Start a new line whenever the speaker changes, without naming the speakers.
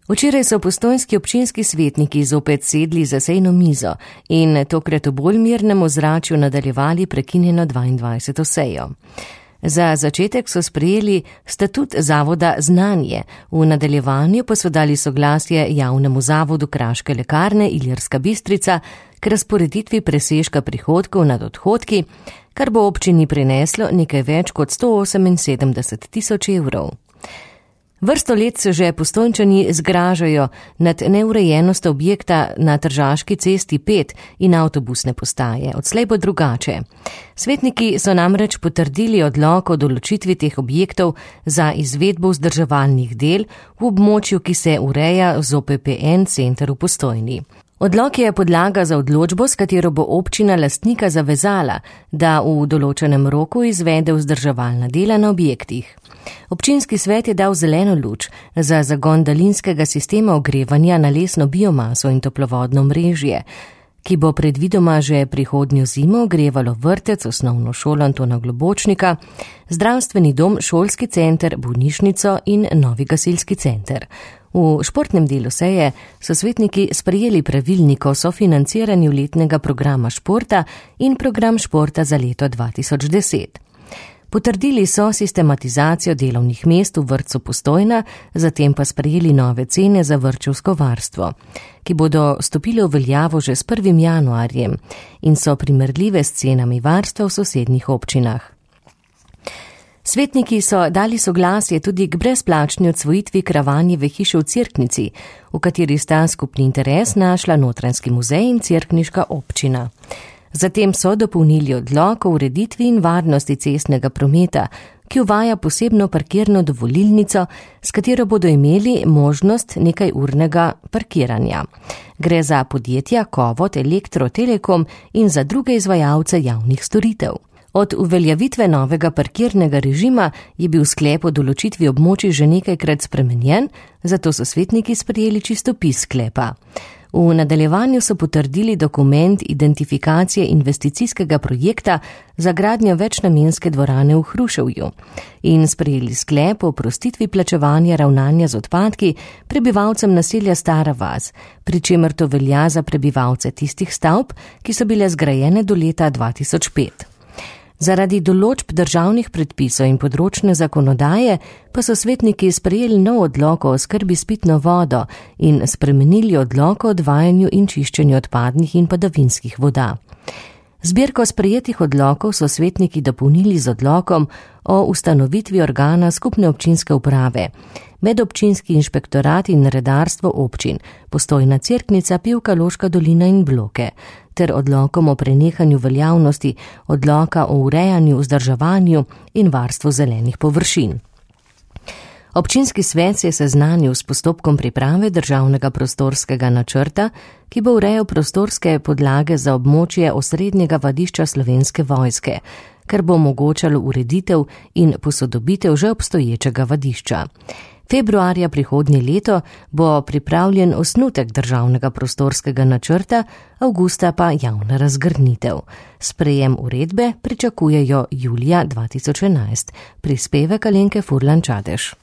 Včeraj so postojnski občinski svetniki zopet sedli za sejno mizo in tokrat v bolj mirnem ozračju nadaljevali prekinjeno 22. sejo. Za začetek so sprejeli statut zavoda Znanje, v nadaljevanju pa so dali soglasje javnemu zavodu Kraške lekarne Ilirska Bistrica k razporeditvi presežka prihodkov nad odhodki, kar bo občini prineslo nekaj več kot 178 tisoč evrov. Vrsto let se že Postojnčani zgražajo nad neurejenostjo objekta na Tržaški cesti 5 in avtobusne postaje. Odslej bo drugače. Svetniki so namreč potrdili odlok o določitvi teh objektov za izvedbo vzdrževalnih del v območju, ki se ureja z OPPN center v Postojni. Odlok je podlaga za odločbo, s katero bo občina lastnika zavezala, da v določenem roku izvede vzdrževalna dela na objektih. Občinski svet je dal zeleno luč za zagon daljinskega sistema ogrevanja na lesno biomaso in toplovodno mrežje, ki bo predvidoma že prihodnjo zimo ogrevalo vrtec, osnovno šolo Antona Globočnika, zdravstveni dom, šolski center, bolnišnico in novi gasilski center. V športnem delu seje so svetniki sprejeli pravilnik o sofinanciranju letnega programa športa in program športa za leto 2010. Potrdili so sistematizacijo delovnih mest v vrtcu Postojna, zatem pa sprejeli nove cene za vrtčevsko varstvo, ki bodo stopile v veljavo že s 1. januarjem in so primerljive s cenami varstva v sosednjih občinah. Svetniki so dali soglasje tudi k brezplačni odsvojitvi Kravanjeve hiše v Cerknici, v kateri sta skupni interes našla Notranjski muzej in cerkniška občina. Zatem so dopolnili odlok o ureditvi in varnosti cestnega prometa, ki uvaja posebno parkirno dovolilnico, s katero bodo imeli možnost nekajurnega parkiranja. Gre za podjetja Kovot, Elektro, Telekom in za druge izvajalce javnih storitev. Od uveljavitve novega parkirnega režima je bil sklep o določitvi območij že nekajkrat spremenjen, zato so svetniki sprejeli čistopis sklepa. V nadaljevanju so potrdili dokument identifikacije investicijskega projekta za gradnjo večnamenske dvorane v Hruševju in sprejeli sklep o oprostitvi plačevanja ravnanja z odpadki prebivalcem naselja Stara vas, pri čemer to velja za prebivalce tistih stavb, ki so bile zgrajene do leta 2005. Zaradi določb državnih predpisov in področne zakonodaje pa so svetniki sprejeli nov odlok o oskrbi s pitno vodo in spremenili odlok o odvajanju in čiščenju odpadnih in padavinskih voda. Zbirko sprejetih odlokov so svetniki dopolnili z odlokom o ustanovitvi organa skupne občinske uprave, medobčinski inšpektorat in redarstvo občin, Postojna, Cerknica, Pivka, Loška dolina in Bloke, ter odlokom o prenehanju veljavnosti odloka o urejanju, vzdrževanju in varstvu zelenih površin. Občinski svet se je seznanil s postopkom priprave državnega prostorskega načrta, ki bo urejal prostorske podlage za območje osrednjega vadišča Slovenske vojske, kar bo omogočalo ureditev in posodobitev že obstoječega vadišča. Februarja prihodnje leto bo pripravljen osnutek državnega prostorskega načrta, avgusta pa javna razgrnitev. Sprejem uredbe pričakujejo julija 2011. Prispevek Alenke Furlan Čadež.